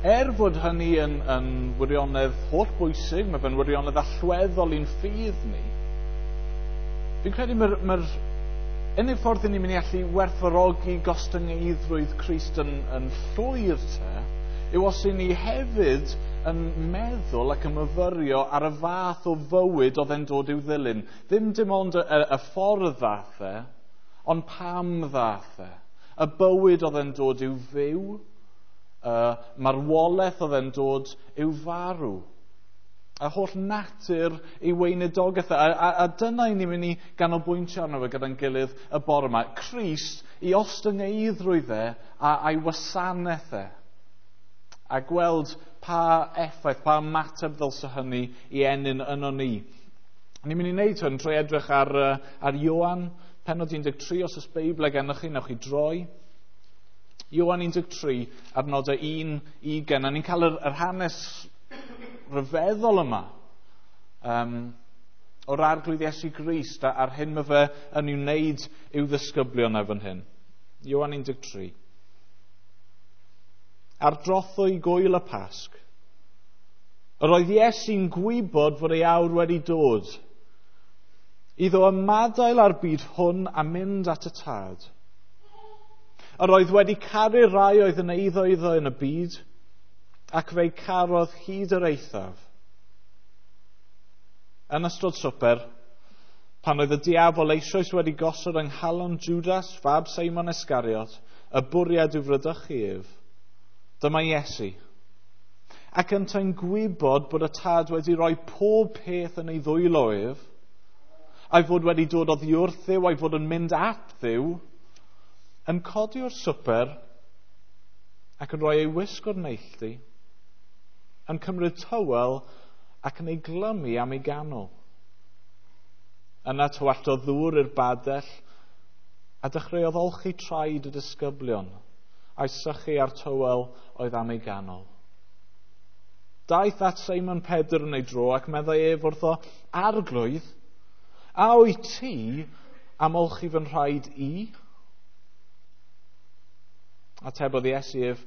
Fod hynny yn wirionedd holl bwysig, mae fe'n wirionedd allweddol i'n ffydd ni, fi'n credu mae'r unig ffordd ni'n mynd i allu werthfawrogi gostyngeiddrwydd Crist yn llwyr te, yw os y'n ni hefyd yn meddwl ac yn myfyrio ar y fath o fywyd oedd e'n dod i'w ddilyn. Ddim dim ond y ffordd ddath e, ond pam ddath e. Y bywyd oedd e'n dod i'w fyw, y marwolaeth oedd e'n dod i'w farw. A holl natur ei weinidogaeth. A dyna i ni'n mynd i ganolbwyntio arno fe gyda'n gilydd y bore yma. Crist i ostyngeiddrwydd e a'i wasanaeth e. A gweld pa effaith, pa ymateb ddylse hynny i ennyn yno ni. Ni'n mynd i wneud hwn trwy edrych ar Ioan, pennod 13, os oes Beibl gennych chi, newch chi droi. Ioan 13, adnodau 1-20. A ni'n cael yr hanes rhyfeddol yma o'r Arglwydd Iesu Grist a'r hyn mae fe yn ei wneud i'w ddisgyblion e fan hyn. Ioan 13. Ar drothwy gwyl y Pasg, yr oedd Iesu'n gwybod fod ei awr wedi dod iddo ymadael â'r byd hwn a mynd at y Tad. Yr oedd wedi caru'r rai oedd yn eiddo iddo yn y byd, ac fe'i carodd hyd yr eithaf. Yn ystod swper, pan oedd y diafol eisoes wedi gosod yng nghalon Judas, fab Seimon Iscariot, y bwriad i'w fradychu ef, dyma Iesu. Ac yntau'n gwybod bod y Tad wedi rhoi pob peth yn ei ddwylo ef, a'i fod wedi dod oddi wrth Dduw, a'i fod yn mynd at Dduw, yn codi o'r swper ac yn rhoi ei wisg o'r neilltu, yn cymryd tywel ac yn ei glymu am ei ganol. Yna tywalltodd ddŵr i'r badell a dechreuodd olchi traed y disgyblion a'i sychu â'r tywel oedd am ei ganol. Daeth at Seimon Pedr yn ei dro ac meddai ef wrtho, Arglwydd, a wyt ti am olchi fy nhraed i? Atebodd Iesu ef,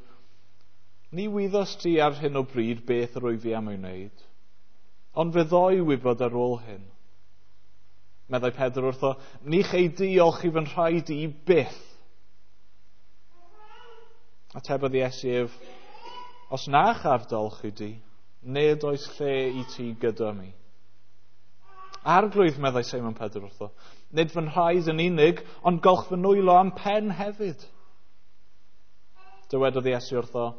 Ni wyddost ti ar hyn o bryd beth yr wyf fi am ei wneud, ond fe ddoi wybod ar ôl hyn. Meddai Pedr wrtho, Ni chei di olchi fy nhraed i byth. Atebodd Iesu ef, Os na chaf dy olchi di, nid oes lle i ti gyda mi. Arglwydd, meddai Seimon Pedr wrtho, nid fy nhraed yn unig, ond golch fy nwylo a'm pen hefyd. Dywedodd Iesu wrtho,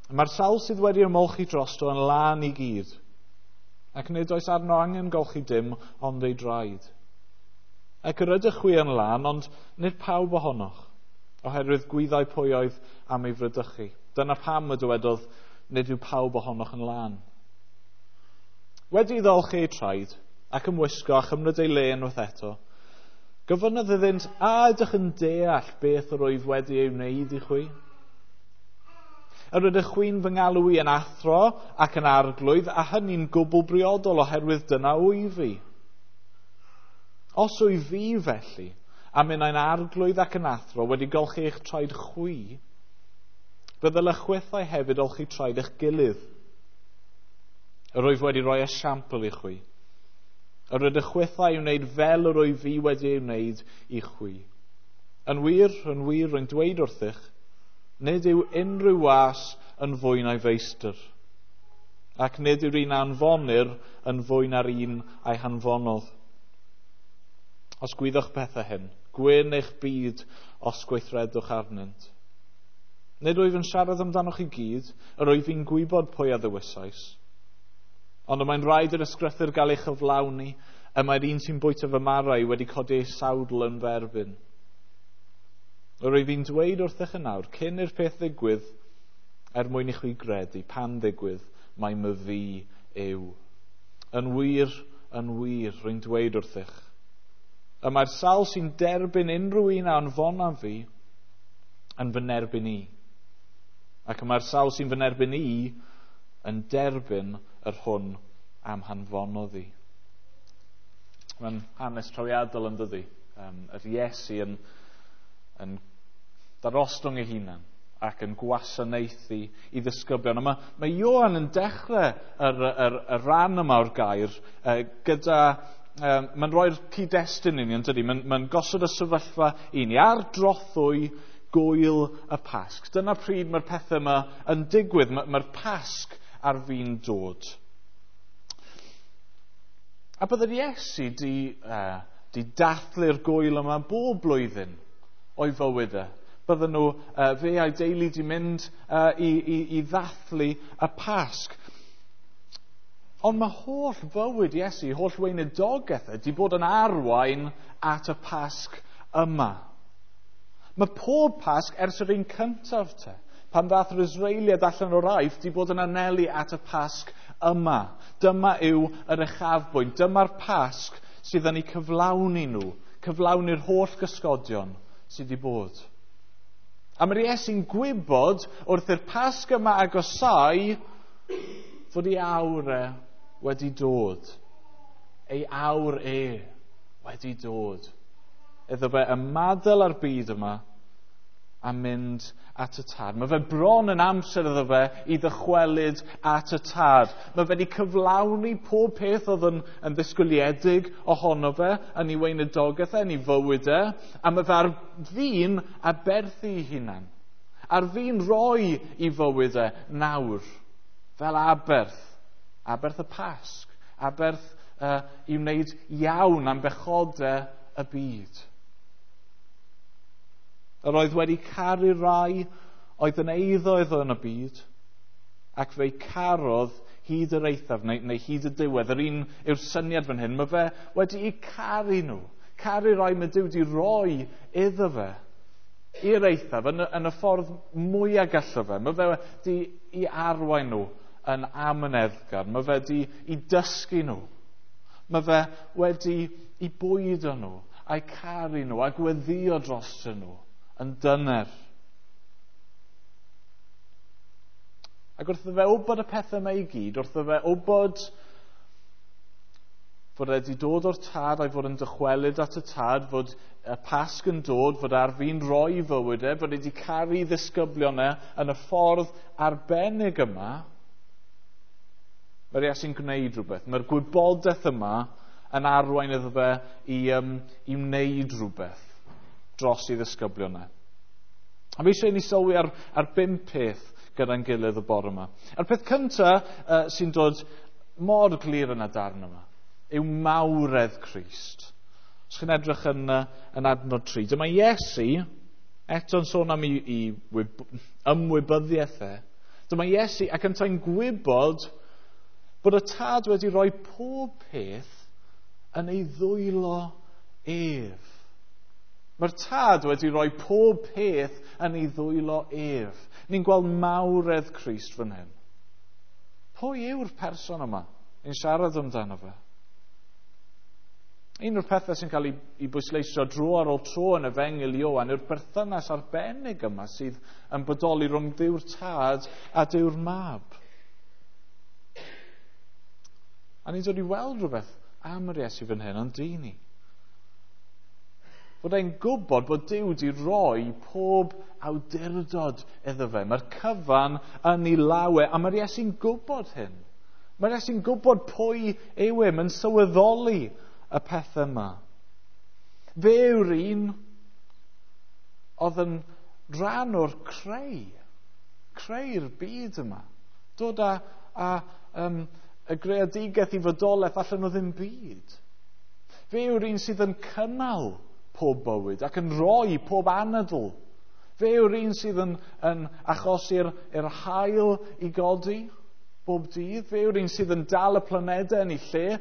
Mae'r sawl sydd wedi ymolchi drosto yn lân i gyd, ac nid oes arno angen golchi dim ond ei draed. Ac yr ydych chwi yn lân, ond nid pawb ohonoch, oherwydd gwyddai pwy oedd am ei fradychu. Dyna pam y dywedodd, nid yw pawb ohonoch yn lân. Wedi iddo olchi ei traed, ac ymwisgo a chymryd ei le unwaith eto, gofynnodd iddynt, A ydych yn deall beth yr wyf wedi ei wneud i chwi? Yr ydych chwi'n fy ngalw i yn athro ac yn arglwydd, a hynny'n gwbl briodol oherwydd dyna wyf fi. Os wyf fi felly, a minnau'n arglwydd ac yn athro wedi golchi eich traed chwi, fe ddylech chwithau hefyd olchi traed eich gilydd. Yr wyf wedi rhoi esiampl i chwi. Yr ydych chwithau i wneud fel yr wyf fi wedi ei wneud i chwi. Yn wir, rwy'n dweud wrthych, nid yw unrhyw was yn fwy na'i feistr, ac nid yw'r un a anfonir yn fwy na'r un a'i hanfonodd. Os gwyddoch pethau hyn, gwyn eich byd os gweithredwch arnynt. Nid wyf yn siarad amdanoch i gyd, yr wyf i'n gwybod pwy a ddewisais. Ond y mae'n rhaid i'r ysgrythur gael ei chyflawni, y mae'r un sy'n bwyta fy marau wedi codi ei sawdl yn fy erbyn. Yr wyf i'n dweud wrthych yn awr, cyn i'r peth ddigwydd, er mwyn i chwi gredu, pan ddigwydd, mai myfi yw. Yn wir, rwy'n dweud wrthych. Y mae'r sawl sy'n derbyn unrhyw un a anfonaf fi yn fy nerbyn i. Ac y mae'r sawl sy'n fy nerbyn i yn derbyn yr hwn am hanfonodd i. Mae'n hanes trawiadol yn dydi. Yr Iesu yn darostwng ei hunan ac yn gwasanaethu i ddisgyblion. A mae Ioan yn dechrau y rhan yma o'r gair gyda... Mae'n rhoi'r cyd-destun i ni, yn dydi? Mae'n gosod y sefyllfa i ni ar drothwy gwyl y Pasg. Dyna pryd mae'r pethau yma yn digwydd. Mae'r Pasg ar fin dod. A byddai'r Iesu di dathlu'r gwyl yma bob blwyddyn o'i fywyd e. Bydden nhw, fe a'i deulu di mynd i ddathlu y Pasg. Ond mae holl fywyd Iesu, holl weinidogaeth e, di bod yn arwain at y Pasg yma. Mae pob Pasg ers yr un cyntaf te, pan ddath yr Israeliad allan o'r Aifft, di bod yn anelu at y Pasg yma. Dyma yw yr uchafbwynt, dyma'r Pasg sydd yn eu cyflawni nhw, cyflawni'r holl gysgodion sydd wedi bod. A mae'r Iesu'n gwybod wrth i'r Pasg yma agosau fod ei awr e wedi dod. Ei awr e wedi dod. Iddo fe ymadael â'r byd yma a mynd at y Tad. Mae fe bron yn amser iddo fe i ddychwelyd at y Tad. Mae fe wedi cyflawni pob peth oedd yn ddisgwyliedig ohono fe, yn ei weinidogaeth e, yn ei fywyd e, a mae fe ar fin aberthu ei hunan. Ar fin roi i fywyd e nawr, fel aberth. Aberth y Pasg, aberth i wneud iawn am bechodau y byd. Yr oedd wedi caru rai oedd yn eiddo iddo yn y byd, ac fe'i carodd hyd yr eithaf, neu hyd y diwedd. Yr un yw'r syniad fan hyn. Mae fe wedi'u caru nhw. Caru rai mae Duw wedi roi iddo fe i'r eithaf, yn y ffordd mwyaf gallo fe. Mae fe wedi i arwain nhw yn amyneddgar. Mae fe wedi i dysgu nhw. Mae fe wedi i bwydo nhw, a'i caru nhw, a gweddio drostyn nhw yn dyner. Ac wrth iddo fe wybod y pethau yma i gyd, wrth iddo fe wybod fod e wedi dod o'r Tad a'i fod yn dychwelyd at y Tad, fod y Pasg yn dod, fod ar fin roi fywyd e, fod e wedi caru ddisgyblion e yn y ffordd arbennig yma, mae'r Iesu'n gwneud rhywbeth. Mae'r gwybodaeth yma yn arwain iddo fe i wneud rhywbeth dros i ddisgyblion e. A fi eisiau i ni sylwi ar 5 peth gyda'n gilydd y bore yma. A'r peth cyntaf sy'n dod mor glir yn y darn yma yw mawredd Crist. Os chi'n edrych yn adnod 3, dyma Iesu, eto'n sôn am ei ymwybyddiaeth e, dyma Iesu ac yntau'n gwybod bod y Tad wedi rhoi pob peth yn ei ddwylo ef. Mae'r Tad wedi rhoi pob peth yn ei ddwylo ef. Ni'n gweld mawredd Crist fan hyn. Pwy yw'r person yma? Ni'n siarad amdano fe. Un o'r pethau sy'n cael ei bwysleisio dro ar ôl tro yn Efengyl Ioan yw'r berthynas arbennig yma sydd yn bodoli rhwng Duw'r Tad a Duw'r Mab. A ni'n dod i weld rhywbeth am yr Iesu fan hyn, ond dyn ni. Fod e'n gwybod bod Duw wedi rhoi pob awdurdod iddo fe. Mae'r cyfan yn ei law e, a mae'r Iesu'n gwybod hyn. Mae'r Iesu'n gwybod pwy yw e, mae'n sylweddoli y pethau yma. Fe yw'r un oedd yn rhan o'r creu'r byd yma. Dod â y greadigaeth i fodolaeth allan o ddim byd. Fe yw'r un sydd yn cynnal pob bywyd ac yn rhoi pob anadl. Fe yw'r un sydd yn achosi'r haul i godi bob dydd. Fe yw'r un sydd yn dal y planedau yn ei lle.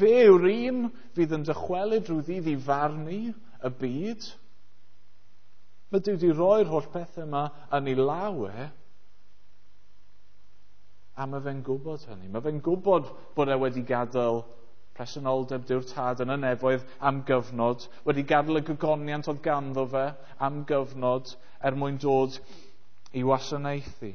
Fe yw'r un fydd yn dychwelyd rhyw ddydd i farnu y byd. Mae Duw wedi rhoi'r holl pethau yma yn ei law e, a mae fe'n gwybod hynny. Mae fe'n gwybod bod e wedi gadael presenoldeb Duw'r Tad yn y nefoedd am gyfnod, wedi gadael y gogoniant oedd ganddo fe am gyfnod er mwyn dod i wasanaethu.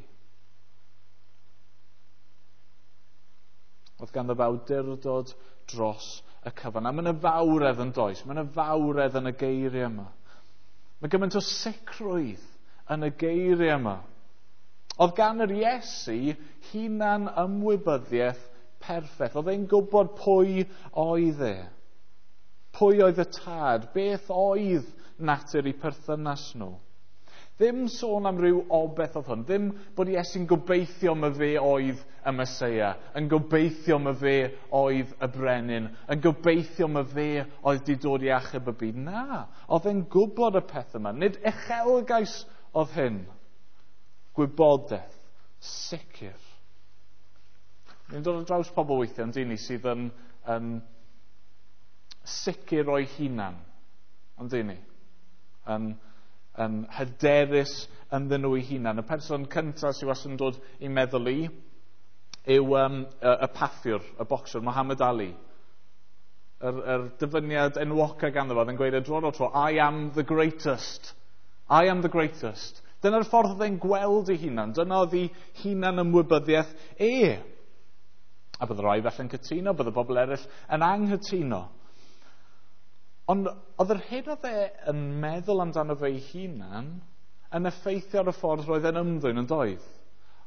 Oedd ganddo fe awdurdod dros y cyfan. A mae yna fawredd yn does, mae yna fawredd yn y geiriau yma. Mae gymaint o sicrwydd yn y geiriau yma. Oedd gan yr Iesu hunan ymwybyddiaeth perffaith. Oedd e'n gwybod pwy oedd e. Pwy oedd y tad? Beth oedd natur eu perthynas nhw? Ddim sôn am ryw obeth oedd hwn. Ddim bod Iesu'n gobeithio ma fe oedd y Meseia, yn gobeithio ma fe oedd y brenin, yn gobeithio ma fe oedd di dod i achub y byd. Na, oedd e'n gwybod y peth yma. Nid uchelgais oedd hyn. Gwybodaeth, sicr. Ni'n dod ar draws pobl weithiau, yn dyn ni, sydd yn sicr o'i hunan, yn dyn ni. Yn hyderus ynddyn nhw eu hunan. Y person cyntaf sydd wastad yn dod i meddwl i yw y paffiwr, y bocsiwr, Muhammad Ali. Yr dyfyniad enwoca ganddo fo, oedd yn gweud y dro o'r tro, "I am the greatest. I am the greatest." Dyna'r ffordd oedd e'n gweld ei hunan. Dyna oedd ei hunan ymwybyddiaeth e. A bydde rai felly'n cytuno, bydde bobl eraill yn anghytuno. Ond oedd yr hyn oedd e yn meddwl amdano fe ei hunan yn effeithio ar y ffordd roedd e'n ymddwyn, yn doedd?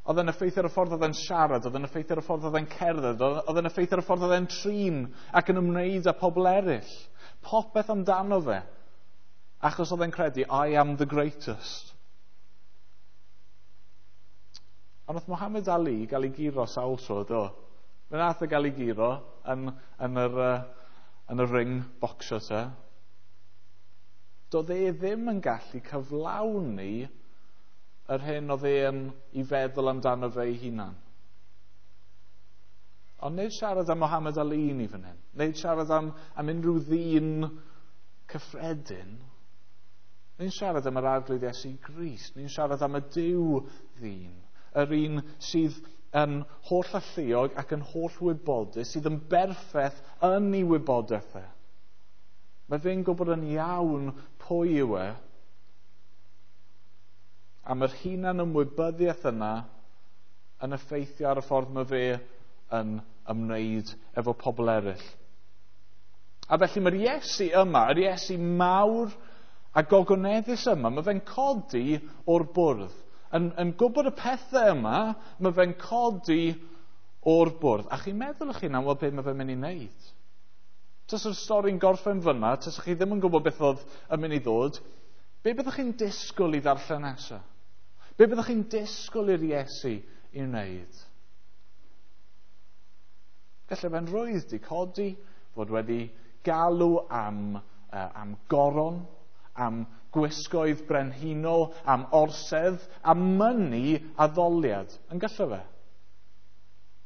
Oedd e'n effeithio ar y ffordd oedd e'n siarad, oedd e'n effeithio ar y ffordd oedd e'n cerdded, oedd e'n effeithio ar y ffordd oedd e'n trin ac yn ymwneud â pobl eraill. Popeth amdano fe. Achos oedd e'n credu, "I am the greatest." Ond oedd Muhammad Ali gael ei guro sawl tro, do? Fe nath e gael ei guro yn y ring bocsio te. Doedd e ddim yn gallu cyflawni yr hyn oedd e'n i feddwl amdano fe ei hunan. Ond nid siarad am Muhammad Ali ni fan hyn. Nid siarad am unrhyw ddyn cyffredin. Ni'n siarad am yr Arglwydd Iesu Grist. Ni'n siarad am y Duw ddyn. Yr un sydd yn holl alluog ac yn holl wybodus, sydd yn berffaith yn ei wybodaeth e. Mae fe'n gwybod yn iawn pwy yw e. A mae'r hunan ymwybyddiaeth yna yn effeithio ar y ffordd mae fe yn ymwneud efo pobl eraill. A felly mae'r Iesu yma, yr Iesu mawr a gogoneddus yma, mae fe'n codi o'r bwrdd. Yn gwybod y pethau yma, mae fe'n codi o'r bwrdd. A chi'n meddwl eich hunan, wel, beth mae fe'n mynd i wneud? Tas yr stori'n gorffen fyna, tas chi ddim yn gwybod beth oedd yn mynd i ddod, be byddwch chi'n disgwyl i ddarllen nesaf? Be byddwch chi'n disgwyl i'r Iesu i wneud? Gallai fe'n rwydd di codi, fod wedi galw am goron, am gwisgoedd brenhinol, am orsedd, am mynnu addoliad. Yn gallai fe?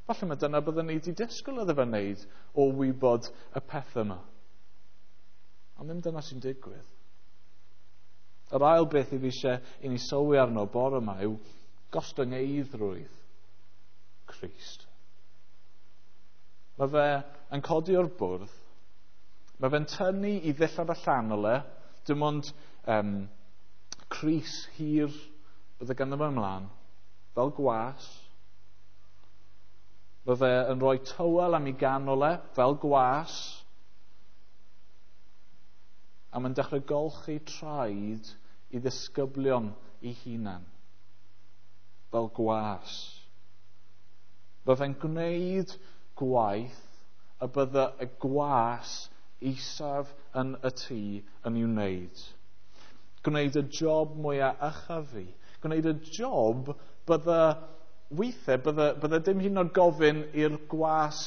Falle mae dyna byddwn ni wedi disgwyl iddo fe wneud o wybod y peth yma. Ond ddim dyna sy'n digwydd. Yr ail beth i fi eisiau i ni sylwi arno bore yma yw gostyngeiddrwydd Crist. Mae fe yn codi o'r bwrdd, mae fe'n tynnu i ddillad allanol e, dim ond crys hir bydde ganddo fe ymlaen, fel gwas. Mae fe yn rhoi tywel am ei ganol e, fel gwas. A mae'n dechrau golchi traed i ddisgyblion ei hunan, fel gwas. Mae fe'n gwneud gwaith y bydde y gwas isaf yn y tŷ yn ei wneud. Gwneud y job mwyaf ychyfu. Gwneud y job bydde weithiau, bydde dim hyd yn oed gofyn i'r gwas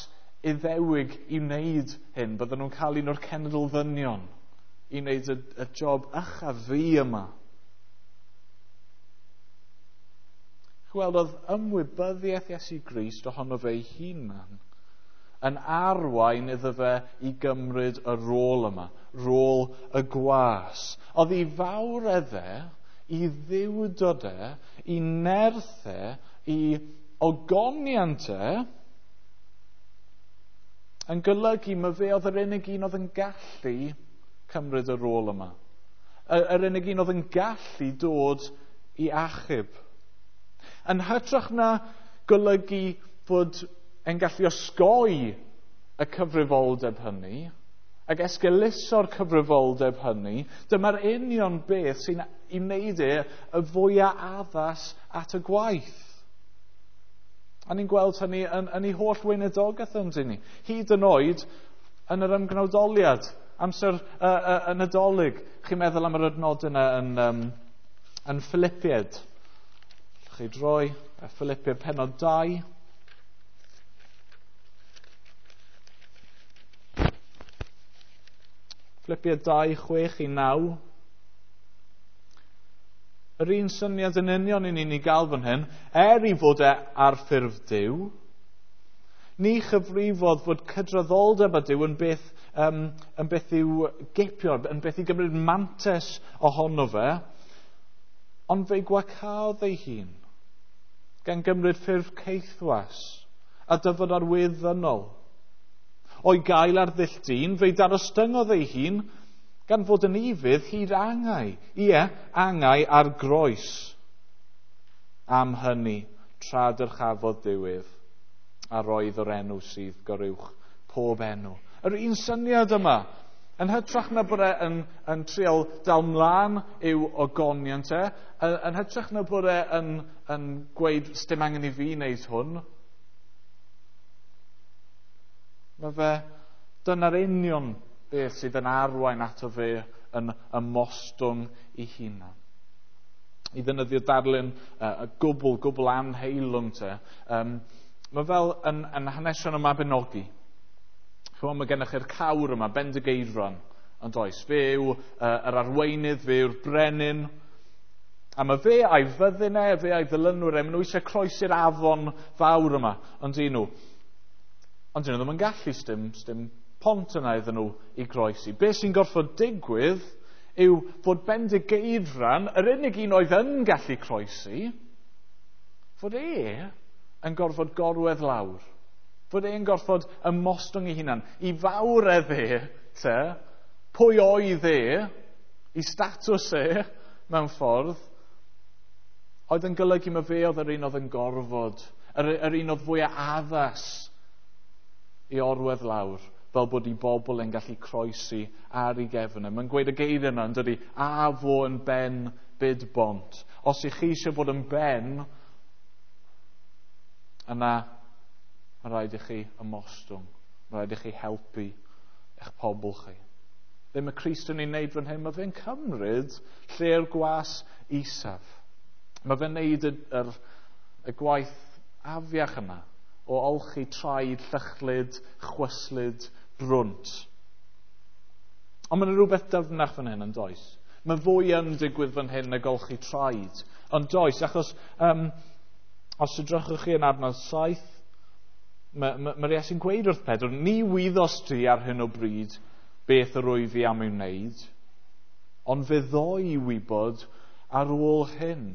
Iddewig i wneud hyn. Bydden nhw'n cael un o'r cenedl ddynion i wneud y job ychyfu yma. Chweld, oedd ymwybyddiaeth Iesu Grist ohono fe ei hunan yn arwain iddo fe i gymryd y rôl yma, rôl y gwas. Oedd ei fawredd e, i ddiwdod e, i nerth e, i ogoniant e, yn golygu mae fe oedd yr unig un oedd yn gallu cymryd y rôl yma. Yr unig un oedd yn gallu dod i achub. Yn hytrach na golygu fod e'n gallu osgoi y cyfrifoldeb hynny, Ac esgeuluso'r cyfrifoldeb hynny, dyma'r union beth sy'n i wneud e y fwyaf addas at y gwaith. A ni'n gweld hynny yn ei holl weinidogaeth, yn dyn ni. Hyd yn oed yn yr ymgnawdoliad, amser y Nadolig. Chi'n meddwl am yr adnod yna yn Philippiaid. Chi droi Philippiaid pennod 2. Philippiaid 2, 6-9. Yr un syniad yn union i ni'n ei gael fan hyn, er i fod e ar ffurf Duw, ni chyfrifodd fod cydraddoldeb â Duw yn beth i'w gipio, yn beth i gymryd mantais ohono fe, ond fe'i gwacaodd ei hun, gan gymryd ffurf caethwas a dyfod ar wedd ddynol. O'i gael ar ddull dyn, fe'i darostyngodd ei hun, gan fod yn ufudd hyd angau. Ie, angau ar groes. Am hynny, tra dyrchafodd Duw ef, a roedd o'r enw sydd goruwch pob enw. Yr un syniad yma, yn hytrach na bod e yn trial dal mlaen i'w ogoniant e, yn hytrach na bod e yn gweud, sdim angen i fi wneud hwn, mae fe, dyna'r union beth sydd yn arwain ato fe yn ymostwng i hunan. I ddefnyddio darlun y gwbl anheilwng te, mae fel yn hanesion y Mabinogi. Chymod, mae gennych chi'r cawr yma, Bendigeidfran, yn does. Fe yw yr arweinydd, fe yw'r brenin. A mae fe a'i fyddin e, fe a'i ddilynwyr e, maen nhw eisiau croesi'r afon fawr yma, ond dyn nhw. Ond dyn nhw ddim yn gallu, sdim pont yna iddyn nhw i groesi. Be sy'n gorfod digwydd yw fod Bendigeidfran, yr unig un oedd yn gallu croesi, fod e yn gorfod gorwedd lawr. Fod e'n gorfod ymostwng ei hunan. I fawredd e, te, pwy oedd e, i statws e, mewn ffordd, oedd yn golygu mae fe oedd yr un oedd yn gorfod, yr un oedd fwyaf addas i orwedd lawr, fel bod i bobl yn gallu croesi ar ei gefn. Mae'n gweud y geiriau yna, yn dydi, a fo yn ben byd bont. Os ych chi eisiau bod yn ben, yna mae rhaid i chi ymostwng. Mae rhaid i chi helpu eich pobl chi. Be mae Crist yn ei wneud fan hyn, mae fe'n cymryd lle'r gwas isaf. Mae fe'n wneud y gwaith afiach yma o olchi traed, llychlyd, chwyslyd, brwnt. Ond mae'n rhywbeth dyfnach fan hyn, yn does? Mae fwy yn digwydd fan hyn na golchi traed. Ond does, achos os edrychwch chi yn adnod 7, mae'r Iesu'n gweud wrth Pedr, ni wyddos ti ar hyn o bryd beth yr wyf fi am ei wneud, ond fe ddoi i wybod ar ôl hyn.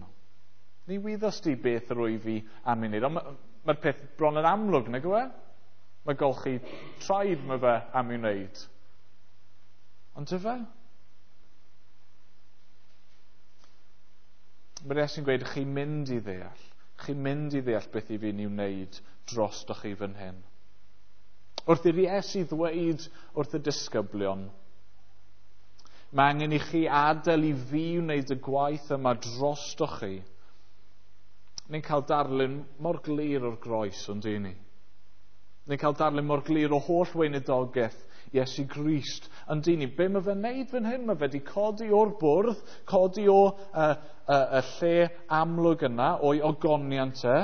Ni wyddos ti beth yr wyf fi am ei wneud. Ond mae'r peth bron yn amlwg, nag yw e? Mae golchi traed mae fe am ei wneud. Ond yfe? Mae'r Iesu'n gweud, chi'n mynd i ddeall. Chi'n mynd i ddeall beth i fi'n ei wneud drostoch chi fan hyn. Wrth i'r Iesu ddweud wrth y disgyblion, mae angen i chi adael i fi wneud y gwaith yma drostoch chi. Ni'n cael darlun mor glir o'r groes, ond dyn ni. Ni'n cael darlun mor glir o holl weinidogaeth Iesu Grist, ond dyn ni. Be mae fe'n neud fan hyn? Mae fe wedi codi o'r bwrdd, codi o y lle amlwg yna, o'i ogoniant e,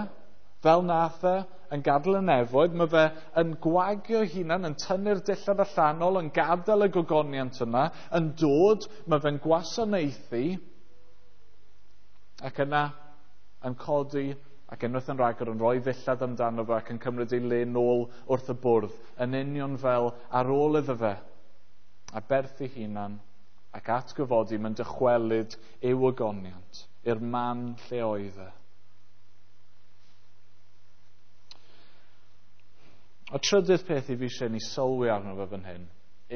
fel nath e yn gadael y nefoedd, mae fe yn gwagio hunan, yn tynnu'r dillad allanol, yn gadael y gogoniant yna, yn dod, mae fe'n gwasanaethu, ac yna yn codi ac unwaith yn rhagor yn rhoi ddillad amdano fe ac yn cymryd ei le nôl wrth y bwrdd, yn union fel ar ôl iddo fe, a berth ei hunan ac atgyfodi, mae'n dychwelyd i'w ogoniant, i'r man lle oedd e. Y trydydd peth i fi eisiau ni sylwi arno fe fan hyn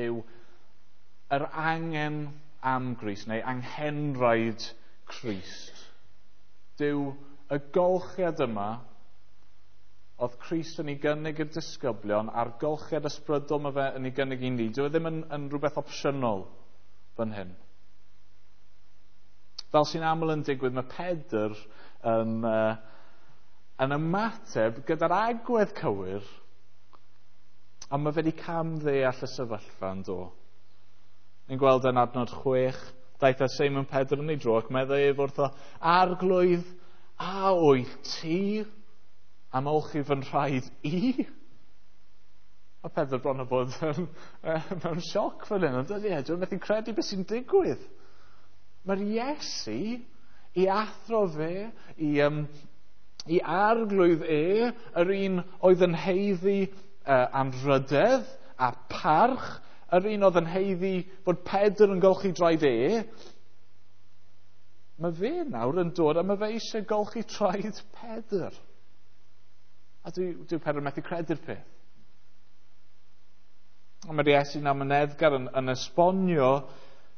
yw yr angen am Grist, neu anghenraid Crist. Dyw y golchiad yma oedd Crist yn ei gynnig i'r disgyblion a'r golchiad ysbrydol mae fe yn ei gynnig i ni, dyw e ddim yn rhywbeth opsiynol fan hyn. Fel sy'n aml yn digwydd, mae Pedr yn ymateb gyda'r agwedd cywir, ond mae fe wedi camddeall y sefyllfa yn do. Ni'n gweld yn adnod 6, daeth â Seimon Pedr yn ei dro ac meddai ef wrtho, Arglwydd, a wyt ti am olchi fy nhraed i? Mae Pedr bron o bod mewn sioc fan hyn, ond dydy e, dwi'n methu credu beth sy'n digwydd. Mae'r Iesu i athro fe, i arglwydd e, yr un oedd yn haeddu anrhydedd a parch, yr un oedd yn haeddu bod Pedr yn golchi draed e, mae fe nawr yn dod a mae fe eisiau golchi traed Pedr. A dwi Pedr methu credu'r peth. A mae'r Iesu'n amyneddgar yn esbonio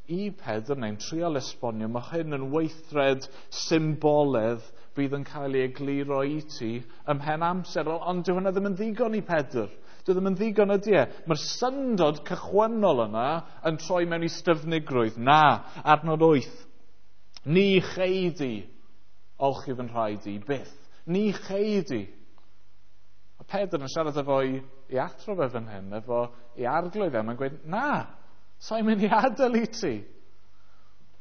i Pedr, neu'n trial esbonio, mae hyn yn weithred symboledd bydd yn cael ei egluro i ti ymhen amser. Ond dyw hwnna ddim yn ddigon i Pedr. Dyw ddim yn ddigon ydy e. Mae'r syndod cychwynnol yna yn troi mewn i styfnigrwydd. Na, adnod 8. Ni chei di olchi fy nhraed i byth. Ni chei di. A Pedr yn siarad efo i athro fe fan hyn, efo i arglwydd e, mae'n gweud, na, sa'n mynd i adael i ti.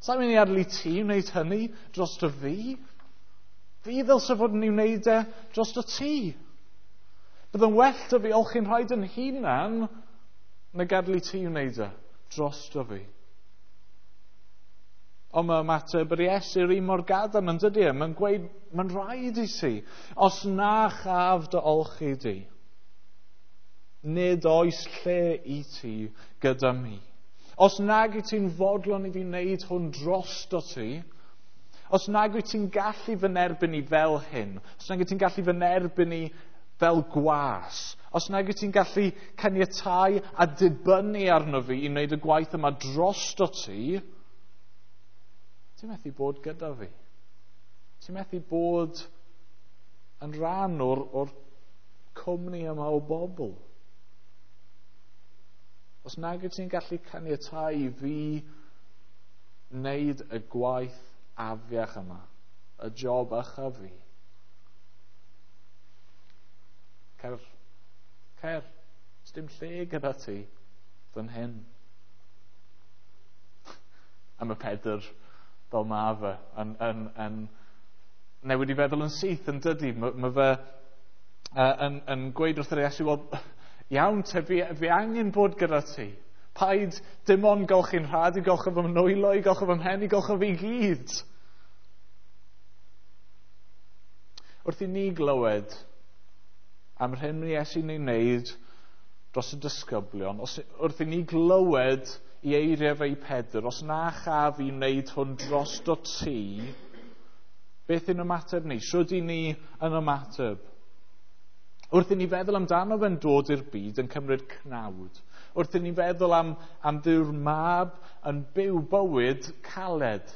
Sa'n mynd i adael i ti wneud hynny drosto fi. Fi ddylse fod yn ei wneud e drosto ti. Bydd yn well dy fi olchi'n rhaid yn hunan na gadael i ti wneud e drosto fi. Ond mae ymateb yr Iesu'r un mor gadarn yn dydy e. Mae'n gweud, mae'n rhaid i ti. Os na chaf dy olchi di, nid oes lle i ti gyda mi. Os nag wyt ti'n fodlon i fi wneud hwn drosto ti, os nag wyt ti'n gallu fy nerbyn i fel hyn, os nag wyt ti'n gallu fy nerbyn i fel gwas, os nag wyt ti'n gallu caniatáu a dibynnu arno fi i wneud y gwaith yma drosto ti, ti'n methu bod gyda fi. Ti'n methu bod yn rhan o'r cwmni yma o bobl. Os nag wyt ti'n gallu caniatáu i fi wneud y gwaith afiach yma, y job ycha fi, cer, dim lle gyda ti fan hyn. A mae Pedr, fel ma fe, yn newid i feddwl yn syth yn dydy. Mae fe yn gweud wrth yr Iesu, wel, iawn te, fi angen bod gyda ti. Paid dim ond golchi'n rhad i golchi fy nwylo, i golchi fy mhen, i golchi fi gyd. Wrth i ni glywed am yr hyn mae Iesu'n ei wneud dros y disgyblion, wrth i ni glywed i eiriau fe i Pedr, os na chaf i wneud hwn drosto ti, beth yw'n ymateb ni? Shwd i ni yn ymateb? Wrth i ni feddwl amdano fe'n dod i'r byd yn cymryd cnawd, wrth i ni feddwl am Dduw'r Mab yn byw bywyd caled,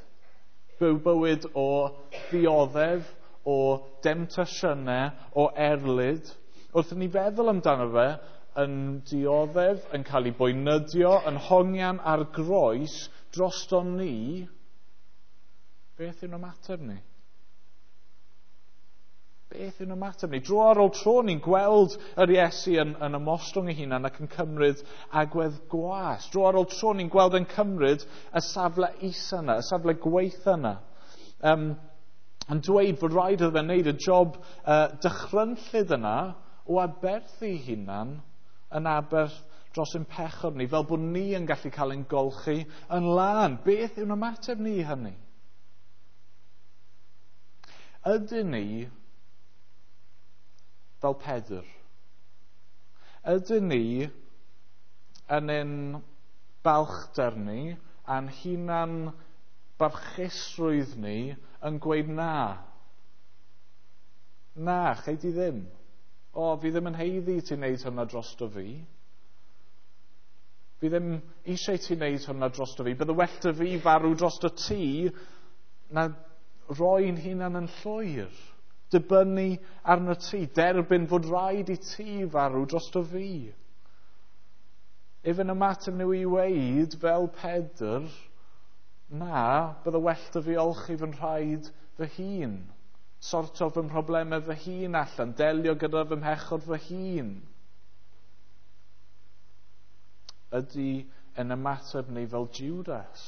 byw bywyd o ddioddef, o demtasiynau, o erlid, wrth i ni feddwl amdano fe yn dioddef, yn cael ei boenydio, yn hongian ar groes drosto ni, beth yw'n ymateb ni? Beth yw'n ymateb ni? Dro ar ôl tro ni'n gweld yr Iesu yn ymostwng ei hunan ac yn cymryd agwedd gwas. Dro ar ôl tro ni'n gweld yn cymryd y safle isa yna, y safle gweitha yna. Yn dweud fod rhaid iddo fe wneud y job dychrynllyd yna o aberthu ei hunan yn aberth dros ein pechod ni, fel bod ni yn gallu cael ein golchi yn lân. Beth yw'n ymateb ni i hynny? Ydyn ni fel Pedr? Ydyn ni yn ein balchder ni a'n hunan barchusrwydd ni yn gweud na? Na, chei di ddim. O, fi ddim yn haeddu ti wneud hwnna drosto fi. Fi ddim eisiau ti wneud hwnna drosto fi. Bydde well dy fi farw drosto ti na roi'n hunan yn llwyr. Dibynnu arno ti, derbyn fod rhaid i ti farw drosto fi. Ife'n ymateb nhw i weud, fel Pedr, na, bydde well dy fi olchi fy nhraed fy hun. Sorto fy mhroblemau fy hun allan, delio gyda fy mhechod fy hun. Ydy yn ymateb ni fel Judas?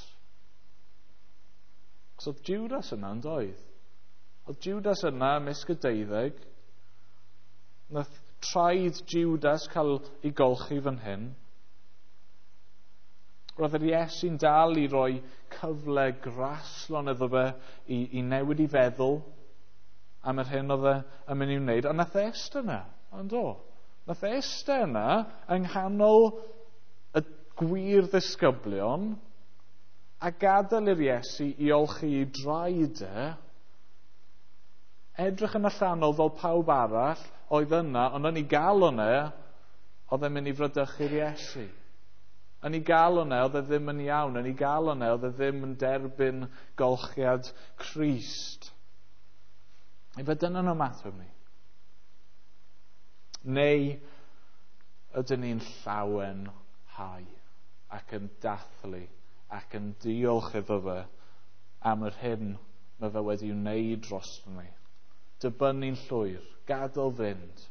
Cos oedd Judas yna yn doedd? Oedd Judas yna ymysg y 12. Nath traed Judas cael ei golchi fan hyn. Roedd yr Iesu'n dal i roi cyfle graslon iddo fe i newid i feddwl am yr hyn oedd e yn mynd i'w wneud. A nath e eistedd yna, ond do. Nath e eistedd yna yng nghanol y gwir ddisgyblion a gadael i'r Iesu i olchi ei draed e, edrych yn allanol fel pawb arall oedd yna, ond yn ei galon e, oedd e'n mynd i fradychu'r Iesu. Yn ei galon e, oedd e ddim yn iawn. Yn ei galon e, oedd e ddim yn derbyn golchiad Crist. Ife dyna'n ymateb ni? Neu ydyn ni'n llawenhau ac yn dathlu ac yn diolch iddo fe am yr hyn mae fe wedi wneud dros ni. Dibynnu'n llwyr, gadael fynd,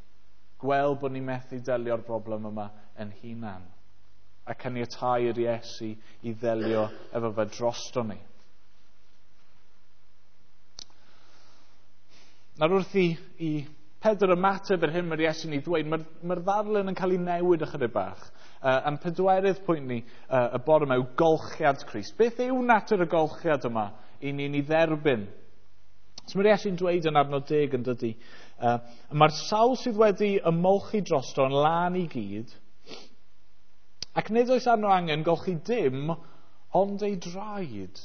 gweld bod ni'n methu delio'r broblem yma yn hunan, a caniatáu i'r Iesu i ddelio efo fe drosto ni. Nawr wrth i Pedr ymateb yr hyn mae'r Iesu'n ei ddweud, mae'r ddarlun yn cael ei newid ychydig bach. A'n pedwerydd pwynt ni y bore yma yw golchiad Crist. Beth yw natur y golchiad yma i ni'n ei dderbyn? So mae'r Iesu'n dweud yn adnod 10 yn dydy, mae'r sawl sydd wedi ymolchi drosto yn lân i gyd, ac nid oes arno angen golchi dim ond ei draed.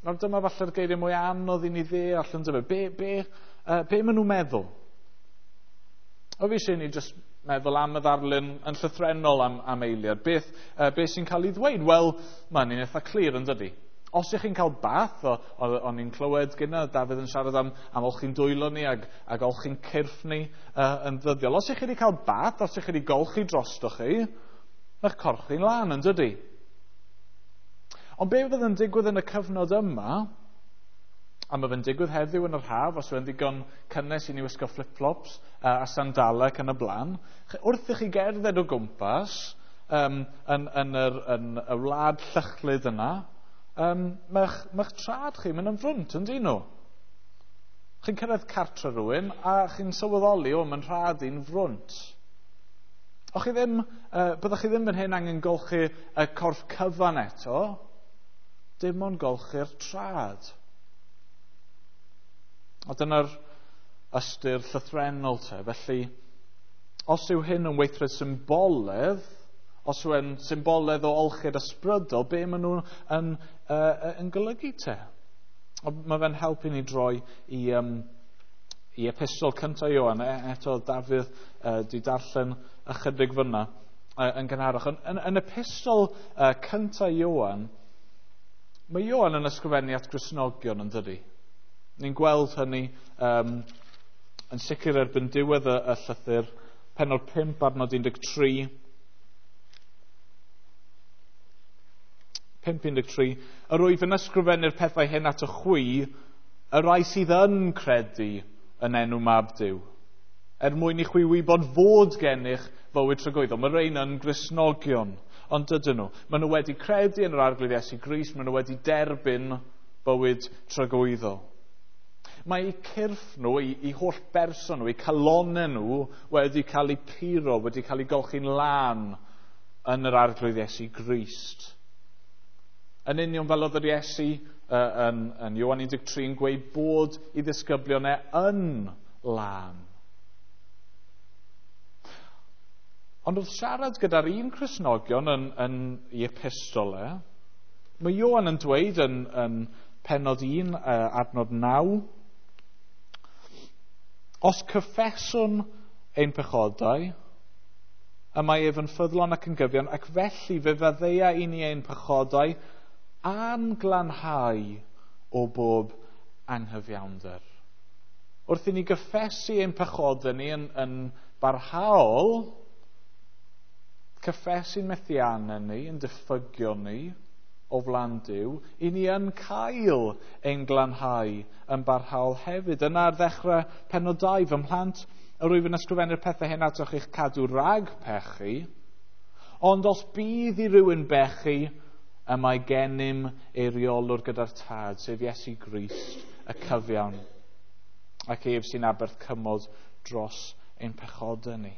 Nawr dyma falle'r geiriau mwy anodd i ni ddeall yn dyma. Be maen nhw'n meddwl? O fi eisiau ni jyst meddwl am y ddarlun yn llythrennol am eiliad. Beth sy'n cael ei ddweud? Wel, mae'n un eitha clir yn dydy. Os ych chi'n cael bath, o'n i'n clywed gyda Dafydd yn siarad am olchi'n dwylo ni ac olchi'n cyrff ni yn ddyddiol. Os ych chi wedi cael bath, os ych chi wedi golchi drosto chi, mae'ch corff chi'n lân yn dydy. Ond be fydd yn digwydd yn y cyfnod yma, a mae fe'n digwydd heddiw yn yr haf, os yw'n ddigon cynnes i ni wisgo flip-flops a sandalau ac yn y blaen, wrth i chi gerdded o gwmpas yn y wlad llychlyd yna, mae'ch trad chi mynd yn frwnt, yn dyn nhw. Chi'n cyrraedd cartre rhywun a chi'n sylweddoli, o, mae'n rhad i'n frwnt. O chi ddim, byddwch chi ddim yn hyn angen golchi y corff cyfan eto, dim ond golchi'r trad. A dyna'r ystyr llythrennol te. Felly, os yw hyn yn weithred symboledd, os yw e'n symboledd o olchiad ysbrydol, be maen nhw yn golygu te? Mae fe'n helpu ni droi i epistol cyntaf Ioan. Eto Dafydd di darllen ychydig fyna yn gynharach. Yn epistol cyntaf Ioan, mae Ioan yn ysgrifennu at Gristnogion yn dydy. Ni'n gweld hynny yn sicr erbyn diwedd y llythyr, pennod 5 adnod 13. 5:13, yr wyf yn ysgrifennu'r pethau hyn ato chwi, y rhai sydd yn credu yn enw Mab Duw, er mwyn i chwi wybod fod gennych fywyd tragwyddol. Mae rhain yn Gristnogion, ond dydyn nhw. Maen nhw wedi credu yn yr Arglwydd Iesu Grist, maen nhw wedi derbyn bywyd tragwyddol. Mae eu cyrff nhw, eu holl berson nhw, eu calonau nhw wedi cael eu puro, wedi cael eu golchi'n lân yn yr Arglwydd Iesu Grist. Yn union fel oedd yr Iesu yn Ioan 13 yn gweud bod ei ddisgyblion e yn lân. Ond wrth siarad gyda'r un Cristnogion yn ei epistol e, mae Ioan yn dweud yn pennod 1, adnod 9, os cyffeswn ein pechodau, y mae ef yn ffyddlon ac yn gyfiawn, ac felly fe faddeia i ni ein pechodau a'n glanhau o bob anghyfiawnder. Wrth i ni gyffesu ein pechodau ni yn barhaol, cyffesu'n methiannau ni, yn diffygion ni o flaen Duw, i ni yn cael ein glanhau yn barhaol hefyd. Yna ar ddechrau pennod 2, fy mhlant, yr wyf yn ysgrifennu'r pethau hyn atoch i'ch cadw rhag pechu, ond os bydd i rywun bechu, y mae gennym eiriolwr gyda'r Tad, sef Iesu Grist, y cyfiawn, ac ef sy'n aberth cymod dros ein pechodau ni.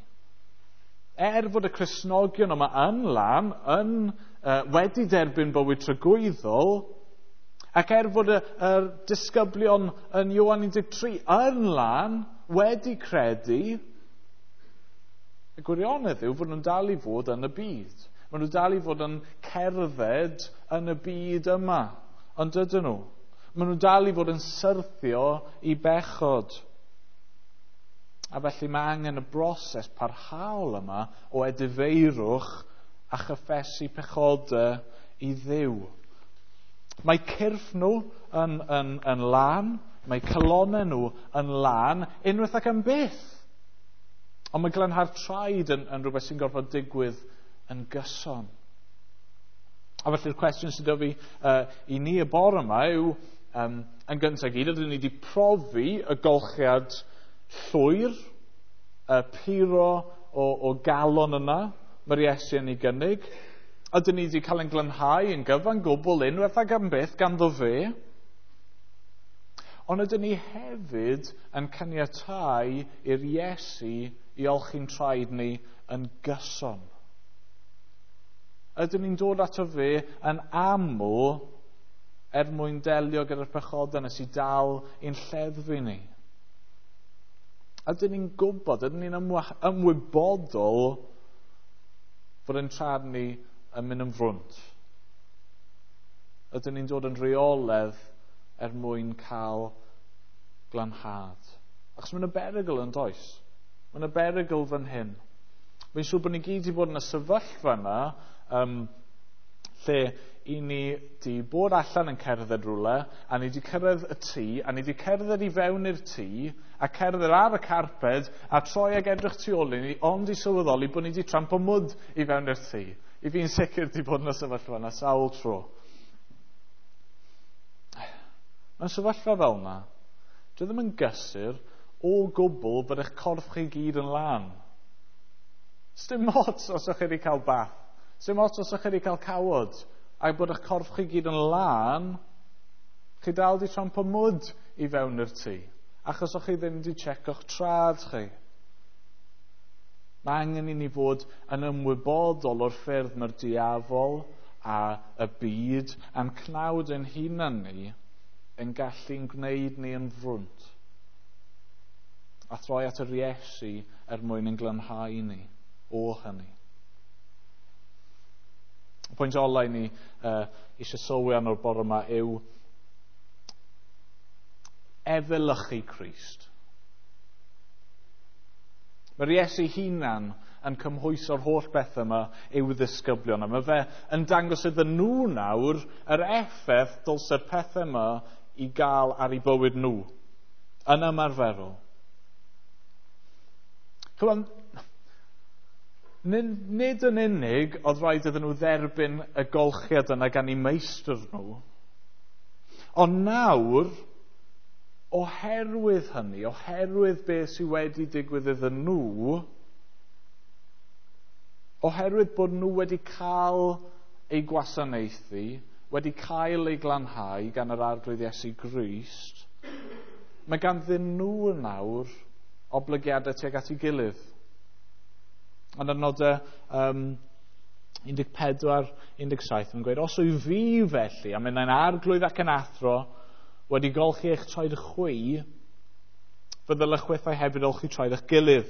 Er fod y Cristnogion yma yn lan, yn wedi derbyn bywyd tragwyddol, ac er fod y disgyblion yn Ioan 13 yn lan, wedi credu, y gwirionedd yw fod nhw'n dal i fod yn y byd. Maen nhw dal i fod yn cerdded yn y byd yma, ond dydyn nhw. Maen nhw dal i fod yn syrthio i bechod. A felly mae angen y broses parhaol yma o edifeirwch a chyffesu pechodau i Dduw. Mae cyrff nhw yn lân, mae calonnau nhw yn lân, unwaith ac am byth. Ond mae glanhau'r traed yn rhywbeth sy'n gorfod digwydd yn gyson. A felly'r cwestiwn sydd 'da fi i ni y bore yma yw, yn gyntaf gyd, ydyn ni wedi profi y golchiad llwyr, y puro o galon yna, mae'r Iesu yn ei gynnig. Ydyn ni wedi cael ein glanhau yn gyfan gwbl unwaith ac am byth ganddo fe. Ond ydyn ni hefyd yn caniatáu i'r Iesu i olchi'n traed ni yn gyson. Ydyn ni'n dod ato fe yn aml er mwyn delio gyda'r pechodau nes i dal i'n lleddfu ni? Ydyn ni'n gwybod, ydyn ni'n ymwybodol fod ein traed ni yn mynd yn frwnt? Ydyn ni'n dod yn rheoledd er mwyn cael glanhad? Achos mae'n y berygl yn does? Mae'n y berygl fan hyn. Mae'n siŵr bod ni gyd wedi bod yn y sefyllfa yna, lle i ni di bod allan yn cerdded rhywle, a ni di cyrraedd y tŷ, a ni di cerdded i fewn i'r tŷ, a cerdded ar y carped, a troi ag edrych tu ôl i ni, ond i sylweddoli bod ni di trampo mwd i fewn i'r tŷ. I fi'n sicr di bod yn y sefyllfa yna sawl tro. Mewn sefyllfa fel yna, dwi ddim yn gysur o gwbl bod eich corff chi gyd yn lân. Sdim ots os ydych chi wedi cael bath. Sdim ots os ydych chi wedi cael cawod a bod eich corff chi gyd yn lân, chi dal di trampo mwd i fewn i'r tŷ, achos o'ch chi ddim wedi checko'ch trad chi. Mae angen i ni fod yn ymwybodol o'r ffyrdd mae'r diafol a y byd a'n cnawd ein hunan ni yn gallu'n gwneud ni yn frwnt. A throi at yr Iesu er mwyn yn glanhau ni o hynny. Y pwynt ola i ni eisiau sylwi arno'r bore yma yw efelychu Crist. Mae'r Iesu hunan yn cymhwyso'r holl beth yma i'w ddisgyblion. A mae fe yn dangos iddyn nhw nawr yr effaith dylse'r pethau yma i gael ar eu bywyd nhw yn ymarferol. Chymod, nid yn unig oedd rhaid iddyn nhw dderbyn y golchiad yna gan eu meistr nhw, ond nawr, oherwydd hynny, oherwydd beth sydd wedi digwydd iddyn nhw, oherwydd bod nhw wedi cael eu gwasanaethu, wedi cael eu glanhau gan yr Arglwydd Iesu Grist, mae ganddyn nhw nawr oblygiadau tuag at ei gilydd. Ond yn nodau 14, 17, mae'n gweud, os wyf fi felly, a minnau'n arglwydd ac yn athro, wedi golchi eich traed chwi, fe ddylech chwithau hefyd olchi traed eich gilydd.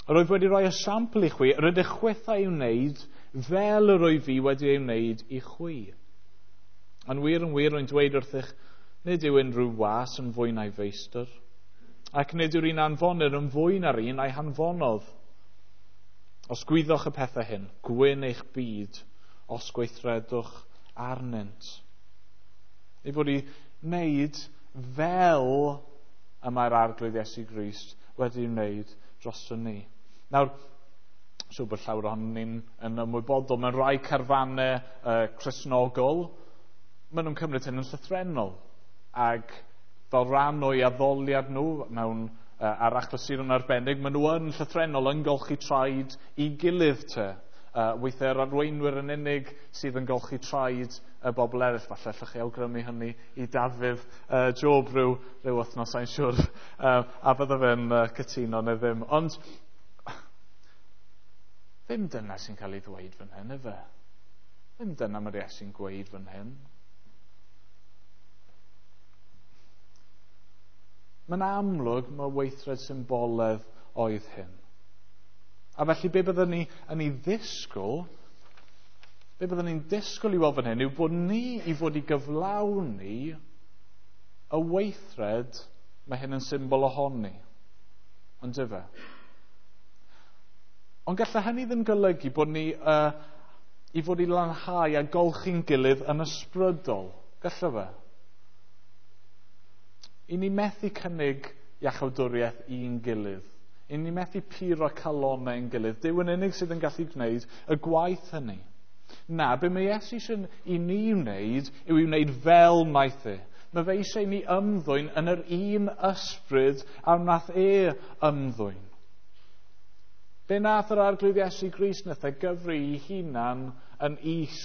Yr wyf wedi rhoi esiampl i chwi, yr ydych chwithau i'w wneud fel yr wyf fi wedi ei wneud i chwi. Yn wir, rwy'n dweud wrthych, nid yw unrhyw was yn fwy na'i feistr, ac nid yw'r un anfonir yn fwy na'r un a'i hanfonodd. Os gwyddoch y pethau hyn, gwyn eich byd, os gweithredwch arnynt. Ei fod i wneud fel y mae'r Arglwydd Iesu Grist wedi wneud droson ni. Nawr, siŵr bod llawer ohonon ni'n yn ymwybodol, mewn rhai carfannau Cristnogol, maen nhw'n cymryd hyn yn llythrennol. Ac fel rhan o'i addoliad nhw mewn ar achlysuron arbennig, maen nhw yn llythrennol yn golchi traed i gilydd te. Weithiau yr arweinwyr yn unig sydd yn golchi traed y bobl eraill. Falle allwch chi awgrymu hynny i Dafydd Job rhyw wythnos, sa'n siŵr, a bydde fe'n cytuno neu ddim. Ond ddim dyna sy'n cael ei ddweud fan hyn, ife? Ddim dyna mae'r Iesu'n gweud fan hyn. Mae'n amlwg mae weithred symboledd oedd hyn. A felly be byddwn ni yn ei ddisgwyl, be byddwn ni'n disgwyl i weld fan hyn yw bod ni i fod i gyflawni y weithred mae hyn yn symbol ohoni. Ond ife? Ond gallai hynny ddim golygu bod ni i fod i lanhau a golchi'n gilydd yn ysbrydol. Gallai fe? I ni methu cynnig iachawdwriaeth i'n gilydd. I ni methu puro calonnau ein gilydd. Duw yn unig sydd yn gallu gwneud y gwaith hynny. Na, be mae Iesu eisiau i ni wneud yw i wneud fel wnaeth e. Mae fe eisiau i ni ymddwyn yn yr un ysbryd a wnaeth e ymddwyn. Be nath yr Arglwydd Iesu Grist? Nath e gyfri ei hunan yn is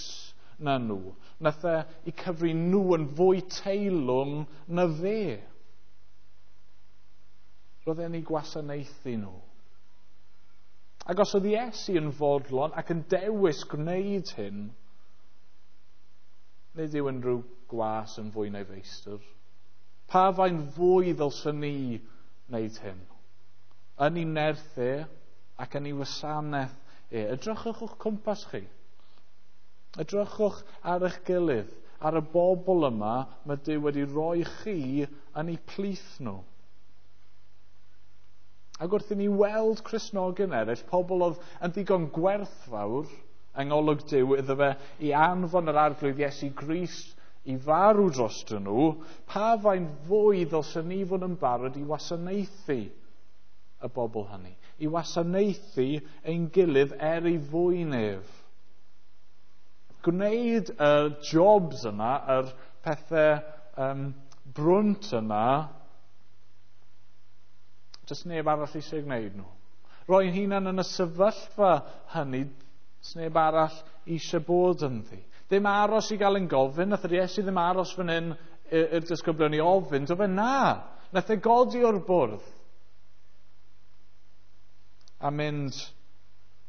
na nhw. Nath e i cyfri nhw yn fwy teilwng na fe. Roedd e'n ei gwasanaethu nhw. Ac os oedd Iesu yn fodlon ac yn dewis gwneud hyn, nid yw unrhyw gwas yn fwy na'i feistr. Pa fain fwy ddylswn ni wneud hyn? Yn ei nerth e ac yn ei wasanaeth e. Edrychwch o'ch cwmpas chi. Edrychwch ar eich gilydd, ar y bobl yma mae Duw wedi rhoi chi yn eu plith nhw. Ac wrth i ni weld Cristnogion eraill, pobl oedd yn ddigon gwerthfawr yng ngolwg Duw iddo fe i anfon yr Arglwydd Iesu Grist i farw drostyn nhw, pa fain fwy ddylswn ni fod yn barod i wasanaethu y bobl hynny, i wasanaethu ein gilydd er ei fwyn ef. Gwneud y jobs yna, yr pethau brwnt yna, does neb arall eisiau gwneud nhw. Roi'n hunan yn y sefyllfa hynny, does neb arall eisiau bod ynddi. Ddim aros i gael yn gofyn, nath yr Iesu ddim aros fan hyn i'r disgyblion i ofyn, do fe na. Nath e godi o'r bwrdd a mynd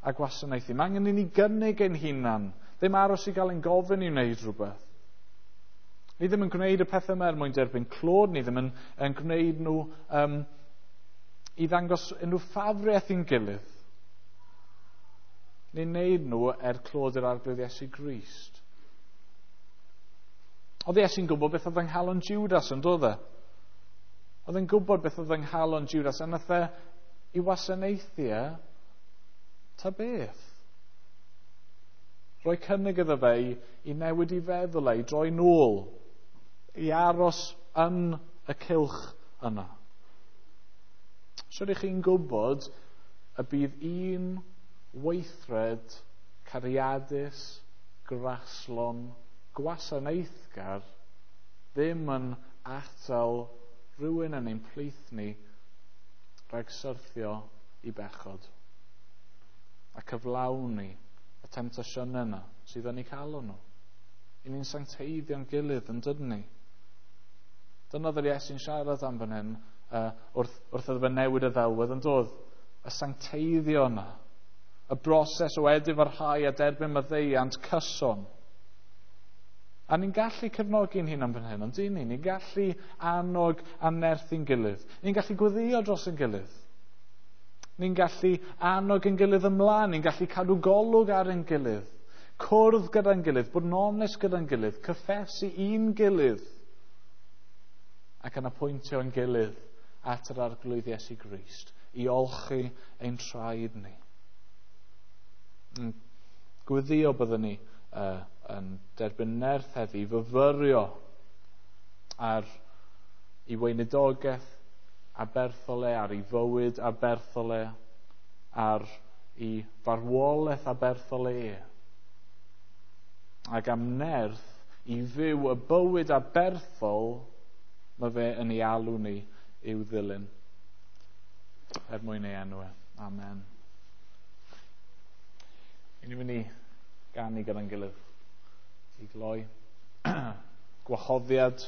a gwasanaethu. Mae angen i ni gynnig ein hunan, ddim aros i gael ein gofyn i wneud rhywbeth. Ni ddim yn gwneud y pethau yma er mwyn derbyn clod, ni ddim yn gwneud nhw i ddangos unrhyw ffafriaeth i'n gilydd. Ni'n gwneud nhw er clod yr Arglwydd Iesu Grist. Oedd Iesu'n gwybod beth oedd yng nghalon Judas, yn doedd e? Oedd e'n gwybod beth oedd yng nghalon Judas, a nath e i wasanaethu e, ta beth? Rhoi cynnig iddo fe i newid i feddwl e, i droi nôl, i aros yn y cylch yna. So ydych chi'n gwybod y bydd un weithred cariadus, graslon, gwasanaethgar ddim yn atal rhywun yn ein plith ni rhag syrthio i bechod a cyflawni y temtasiynau yna sydd yn eu calon nhw. I ni'n sancteiddio'n gilydd yn dydyn ni. Dyna oedd yr Iesu'n siarad am fan hyn wrth iddo fe newid y ddelwedd yn dod. Y sancteiddio yna. Y broses o edifarhau a derbyn maddeuant cyson. A ni'n gallu cefnogi'n hunan fan hyn, ond dyn ni? Ni'n gallu annog a nerthu'n gilydd. Ni'n gallu gweddïo dros ein gilydd. Ni'n gallu annog ein gilydd ymlaen. Ni'n gallu cadw golwg ar ein gilydd. Cwrdd gyda'n gilydd, bod yn onest gyda'n gilydd, cyffesu i'n gilydd. Ac yn apwyntio ein gilydd at yr Arglwydd Iesu Grist i olchi ein traed ni. Gweddïo byddwn ni yn derbyn nerth heddi, fyfyrio ar ei weinidogaeth aberthol e, ar ei fywyd aberthol e, ar ei farwolaeth aberthol e. Ac am nerth i fyw y bywyd aberthol mae fe yn ei alw ni i'w ddilyn. Er mwyn ei enw e. Amen. I ni'n mynd i ganu gyda'n gilydd i gloi. Gwahoddiad.